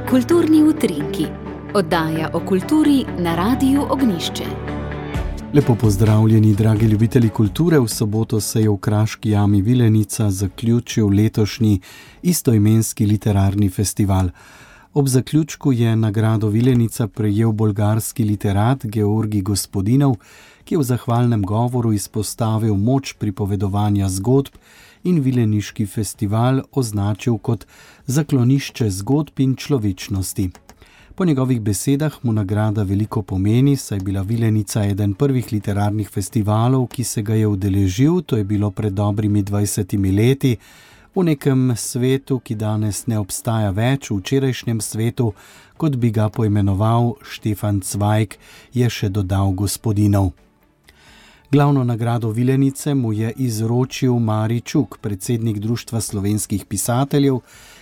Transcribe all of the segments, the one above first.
Kulturni utrinki, oddaja o kulturi na Radiu Ognjišče. Lepo pozdravljeni, dragi ljubitelji kulture. V soboto se je v Kraški jami Vilenica zaključil letošnji istoimenski literarni festival. Ob zaključku je nagrado Vilenica prejel bolgarski literat Georgi Gospodinov, ki je v zahvalnem govoru izpostavil moč pripovedovanja zgodb in vileniški festival označil kot zaklonišče zgodb in človečnosti. Po njegovih besedah mu nagrada veliko pomeni, saj je bila Vilenica eden prvih literarnih festivalov, ki se ga je udeležil, to je bilo pred dobrimi 20 leti, v nekem svetu, ki danes ne obstaja več, v včerajšnjem svetu, kot bi ga poimenoval Štefan Cvajg, je še dodal Gospodinov. Glavno nagrado Vilenice mu je izročil Mari Čuk, predsednik Društva slovenskih pisateljev,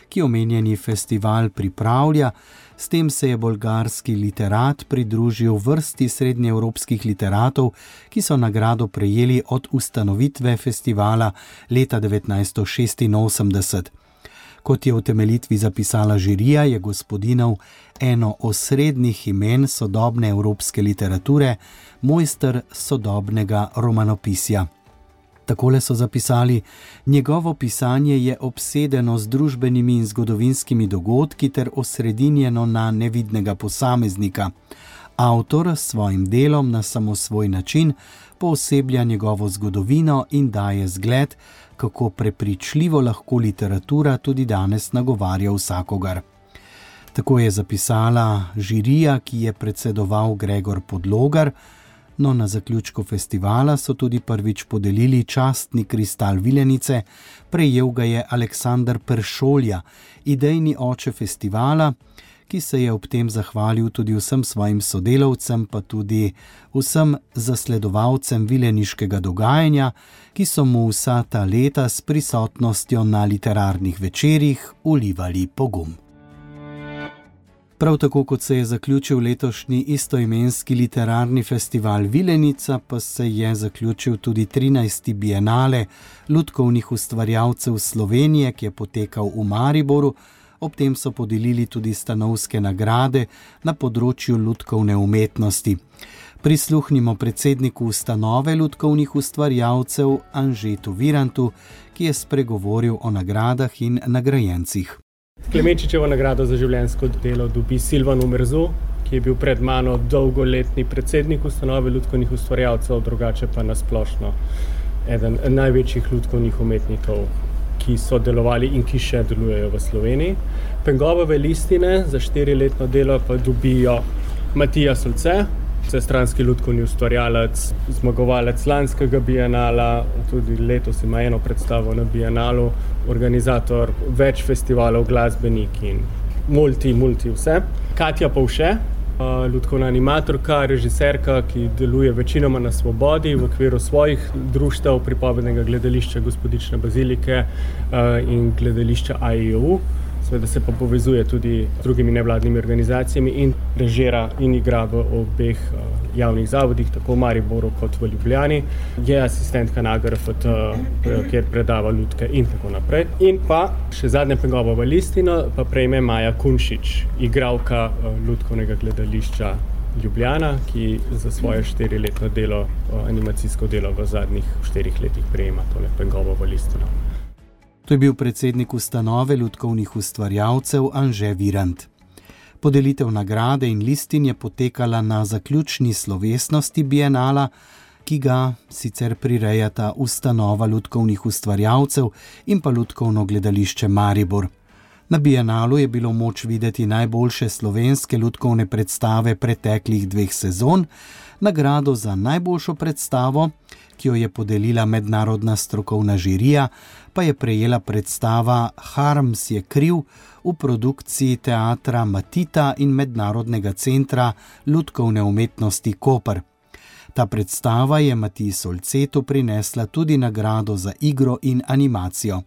ki omenjeni festival pripravlja. S tem se je bolgarski literat pridružil vrsti srednjeevropskih literatov, ki so nagrado prejeli od ustanovitve festivala leta 1986. Kot je v utemeljitvi zapisala žirija, je Gospodinov eno osrednjih imen sodobne evropske literature, mojster sodobnega romanopisja. Takole so zapisali: njegovo pisanje je obsedeno z družbenimi in zgodovinskimi dogodki ter osredinjeno na nevidnega posameznika. Avtor s svojim delom na samosvoj način pooseblja njegovo zgodovino in daje zgled, kako prepričljivo lahko literatura tudi danes nagovarja vsakogar. Tako je zapisala žirija, ki je predsedoval Gregor Podlogar. No, na zaključku festivala so tudi prvič podelili častni kristal Vilenice, prejel ga je Aleksandar Peršolja, idejni oče festivala, ki se je ob tem zahvalil tudi vsem svojim sodelavcem, pa tudi vsem zasledovalcem vileniškega dogajanja, ki so mu vsa ta leta s prisotnostjo na literarnih večerih vlivali pogum. Prav tako, kot se je zaključil letošnji istoimenski literarni festival Vilenica, pa se je zaključil tudi 13. bienale lutkovnih ustvarjalcev Slovenije, ki je potekal v Mariboru. Ob tem so podelili tudi stanovske nagrade na področju lutkovne umetnosti. Prisluhnimo predsedniku ustanove lutkovnih ustvarjalcev Anžetu Virantu, ki je spregovoril o nagradah in nagrajencih. Klemenčičevo nagrado za življenjsko delo dobi Silvan Omerzu, ki je bil pred mano dolgoletni predsednik ustanove lutkovnih ustvarjalcev, drugače pa nasplošno eden največjih lutkovnih umetnikov, ki so delovali in ki še delujejo v Sloveniji. Pengobove listine za 4-letno delo pa dobijo Matija Solce, vsestranski lutkovni ustvarjalec, zmagovalec lanskega bienala, tudi letos ima eno predstavo na bienalu, organizator več festivalov, glasbenik in multi vse. Katja Povše, lutkovna animatorka, režiserka, ki deluje večinoma na svobodi v okviru svojih društev, pripovednega gledališča Gospodične bazilike in gledališča AIU. Seveda se pa povezuje tudi z drugimi nevladnimi organizacijami in režira in igra v obeh javnih zavodih, tako v Mariboru kot v Ljubljani. Je asistentka na AGRFT, kjer predava lutke in tako naprej. In pa še zadnja Pengobova listina pa prejme Maja Kunšič, igralka lutkovnega gledališča Ljubljana, ki za svoje 4-letno delo, animacijsko delo v zadnjih 4 letih prejema tole Pengobovo listino. To je bil predsednik ustanove lutkovnih ustvarjalcev Anže Virant. Podelitev nagrade in listin je potekala na zaključni slovesnosti bienala, ki ga sicer prirejata ustanova lutkovnih ustvarjalcev in pa lutkovno gledališče Maribor. Na bienalu je bilo moč videti najboljše slovenske lutkovne predstave preteklih 2 sezon. Nagrado za najboljšo predstavo, ki jo je podelila mednarodna strokovna žirija, pa je prejela predstava Harms je kriv v produkciji teatra Matita in Mednarodnega centra lutkovne umetnosti Koper. Ta predstava je Matiji Solcetu prinesla tudi nagrado za igro in animacijo.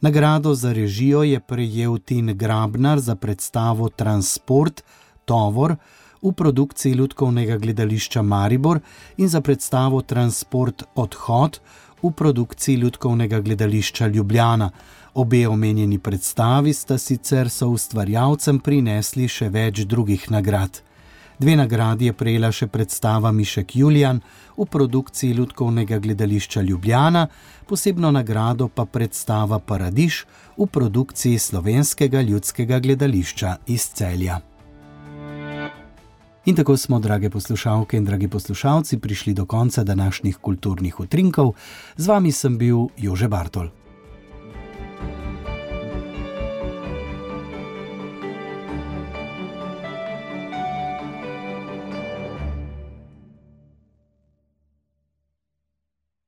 Nagrado za režijo je prejel Tin Grabnar za predstavo Transport, tovor, v produkciji lutkovnega gledališča Maribor in za predstavo Transport, odhod v produkciji lutkovnega gledališča Ljubljana. Obe omenjeni predstavi sta sicer soustvarjalcem prinesli še več drugih nagrad. 2 nagradi je prejela še predstava Mišek Julijan v produkciji Lutkovnega gledališča Ljubljana, posebno nagrado pa predstava Paradiž v produkciji Slovenskega ljudskega gledališča iz Celja. In tako smo, drage poslušalke in dragi poslušalci, prišli do konca današnjih kulturnih utrinkov. Z vami sem bil Jože Bartol.